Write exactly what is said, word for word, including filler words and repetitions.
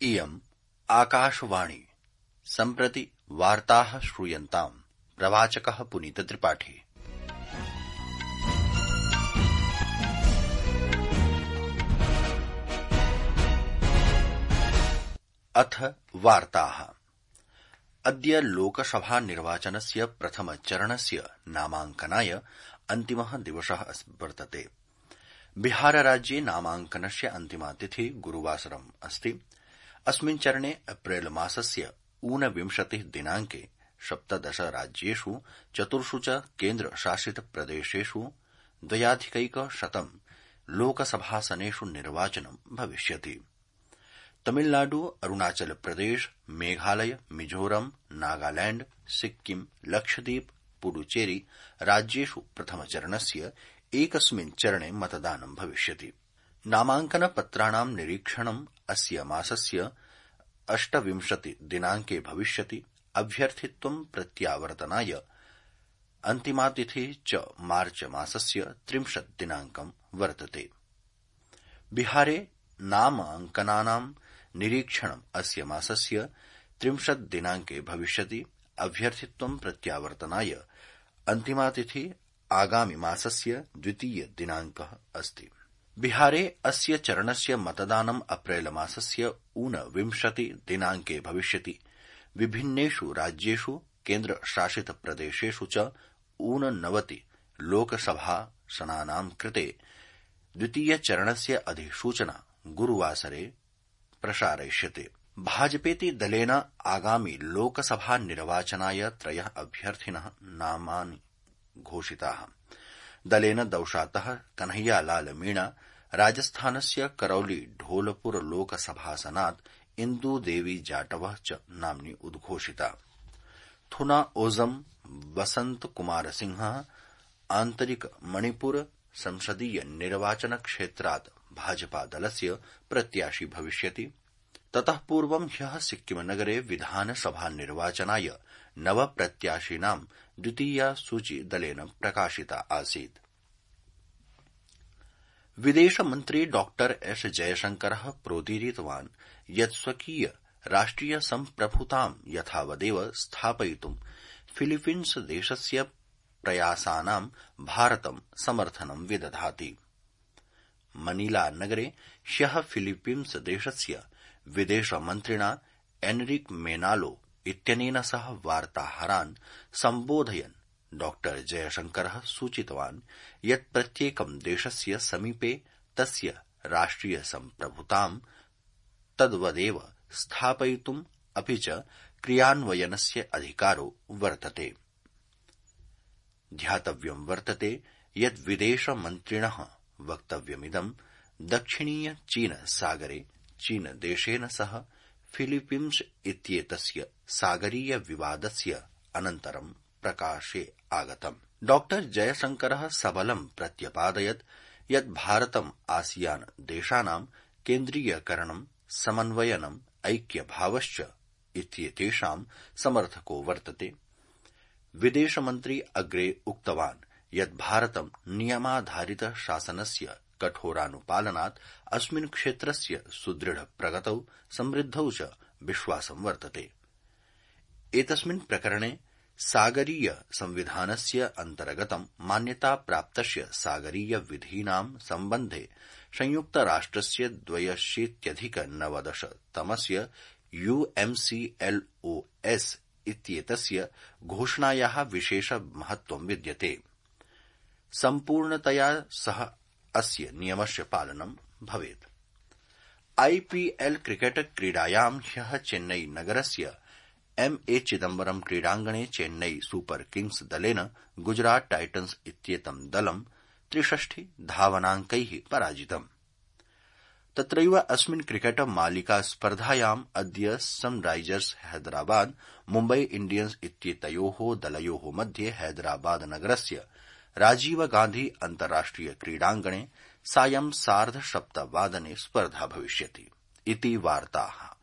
इयम् आकाशवाणी। सम्प्रति वार्ताः श्रूयन्ताम्। प्रवाचकः पुनीतत्रिपाठी। अथ वार्ताः। अद्य लोकसभा निर्वाचनस्य प्रथमचरणस्य नामाङ्कनाय अन्तिमः दिवसः वर्तते। बिहारराज्ये नामाङ्कनस्य अन्तिमा तिथि गुरुवासरम् अस्ति। अस्मिन् चरणे अप्रैल मासस्य ऊनविंशतिः दिनाङ्के सप्तदश राज्येषु चतुर्षु च केन्द्रशासित प्रदेशेषु द्वयाधिकैकशतम् लोकसभासनेषु निर्वाचनं भविष्यति। तमिलनाडु, अरुणाचल प्रदेश, मेघालय, मिजोरम, नागालैंड, सिक्किम, लक्षद्वीप, पुडुचेरी राज्येषु प्रथमचरणस्य एकस्मिन् चरणे मतदानं भविष्यति। नामाङ्कनपत्राणां निरीक्षणम् अस्य मासस्य अष्टविंशति दिनाङ्के भविष्यति। अभ्यर्थित्वं प्रत्यावर्तनाय अन्तिमा तिथिः च मार्च मासस्य त्रिंशत् दिनाङ्कं वर्तते। बिहारे नामाङ्कनानां निरीक्षणम् अस्य मासस्य त्रिंशत् दिनाङ्के भविष्यति। अभ्यर्थित्वं प्रत्यावर्तनाय अन्तिमा तिथिः आगामि मासस्य द्वितीय दिनाङ्कः अस्ति। बिहारे अस्य चरणस्य मतदानम् अप्रैल मासस्य ऊनविंशति दिनाङ्के भविष्यति। विभिन्नेषु राज्येषु केन्द्रशासित प्रदेशेषु च ऊननवति लोकसभासनानां कृते द्वितीयचरणस्य अधिसूचना गुरुवासरे प्रसारयिष्यते। भाजपेति दलेन आगामि लोकसभा निर्वाचनाय त्रयः अभ्यर्थिनः नामानि घोषिताः। दलेन दौशातः कन्हैयालाल मीणा, राजस्थानस्य करौली ढोलपुर लोकसभासनात् इन्दुदेवी जाटवः च नाम्नि उद्घोषिता। थुना ओजम वसंत कुमार सिंहः आन्तरिक मणिपुर संसदीय निर्वाचन क्षेत्रात् भाजपादलस्य प्रत्याशी भविष्यति। ततः पूर्वं ह्यः सिक्किमनगरे विधानसभा निर्वाचनाय नव प्रत्याशिनां द्वितीया सूची दलेन प्रकाशिता आसीत्। विदेशमन्त्री डॉ एस जयशंकरः प्रोदीरितवान् यत् स्वकीय राष्ट्रिय सम्प्रभुतां यथावदेव स्थापयितुं फिलीपीन्स देशस्य प्रयासानां भारतं समर्थनं विदधाति। मनीला नगरे ह्यः फिलीपीन्स देशस्य विदेशमन्त्रिणा एनरिक मेनालो इत्यनेन सह वार्ताहरान् सम्बोधयन् डॉ जयशंकरः सूचितवान् यत् प्रत्येकं देशस्य समीपे तस्य राष्ट्रिय सम्प्रभुतां तद्वदेव स्थापयितुम् अपि च क्रियान्वयनस्य अधिकारो वर्तते। ध्यातव्यं वर्तते यत् विदेशमन्त्रिणः वक्तव्यमिदं दक्षिणीय चीन सागरे चीनदेशेन सह फिलीपीन्स इत्येतस्य सागरीय विवादस्य अनन्तरं प्रकाशे आगतम्। डॉ जयशंकरः सबलं प्रत्यपादयत् यत् भारतम् आसियान देशानां केन्द्रीयकरणं, समन्वयनम्, ऐक्यभावश्च इत्येतेषां समर्थको वर्तते। विदेशमन्त्री अग्रे उक्तवान् यत् भारतं नियमाधारित शासनस्य कठोरानुपालनात् अस्मिन् क्षेत्रस्य सुदृढ प्रगतौ समृद्धौ च विश्वासं वर्तते। एतस्मिन् प्रकरणे सागरीय संविधानस्य अन्तर्गतं मान्यताप्राप्तस्य सागरीय विधीनां सम्बन्धे संयुक्तराष्ट्रस्य द्व्यशीत्यधिक नवदश तमस्य यूएमसीएलओएस इत्येतस्य घोषणायाः विशेष महत्वं विद्यते। सम्पूर्णतया सह अस्य नियमस्य पालनं भवेत्। आईपीएल क्रिकेट क्रीडायां ह्यः चेन्नई नगरस्य एम ए चिदम्बरम क्रीडाङ्गणे चेन्नई सुपर किंग्स दलेन गुजरात टाइटन्स इत्येतं दलं त्रिषष्टि धावनाङ्कैः पराजितम्। तत्रैव अस्मिन् क्रिकेट मालिका स्पर्धायाम् अद्य सनराइजर्स हैदराबाद मुम्बई इंडियन्स इत्येतयोः दलयोः मध्ये हैदराबाद नगरस्य राजीव गांधी अन्ताराष्ट्रिय क्रीडाङ्गणे सायं सार्ध सप्तवादने स्पर्धा भविष्यति। इति वार्ताः।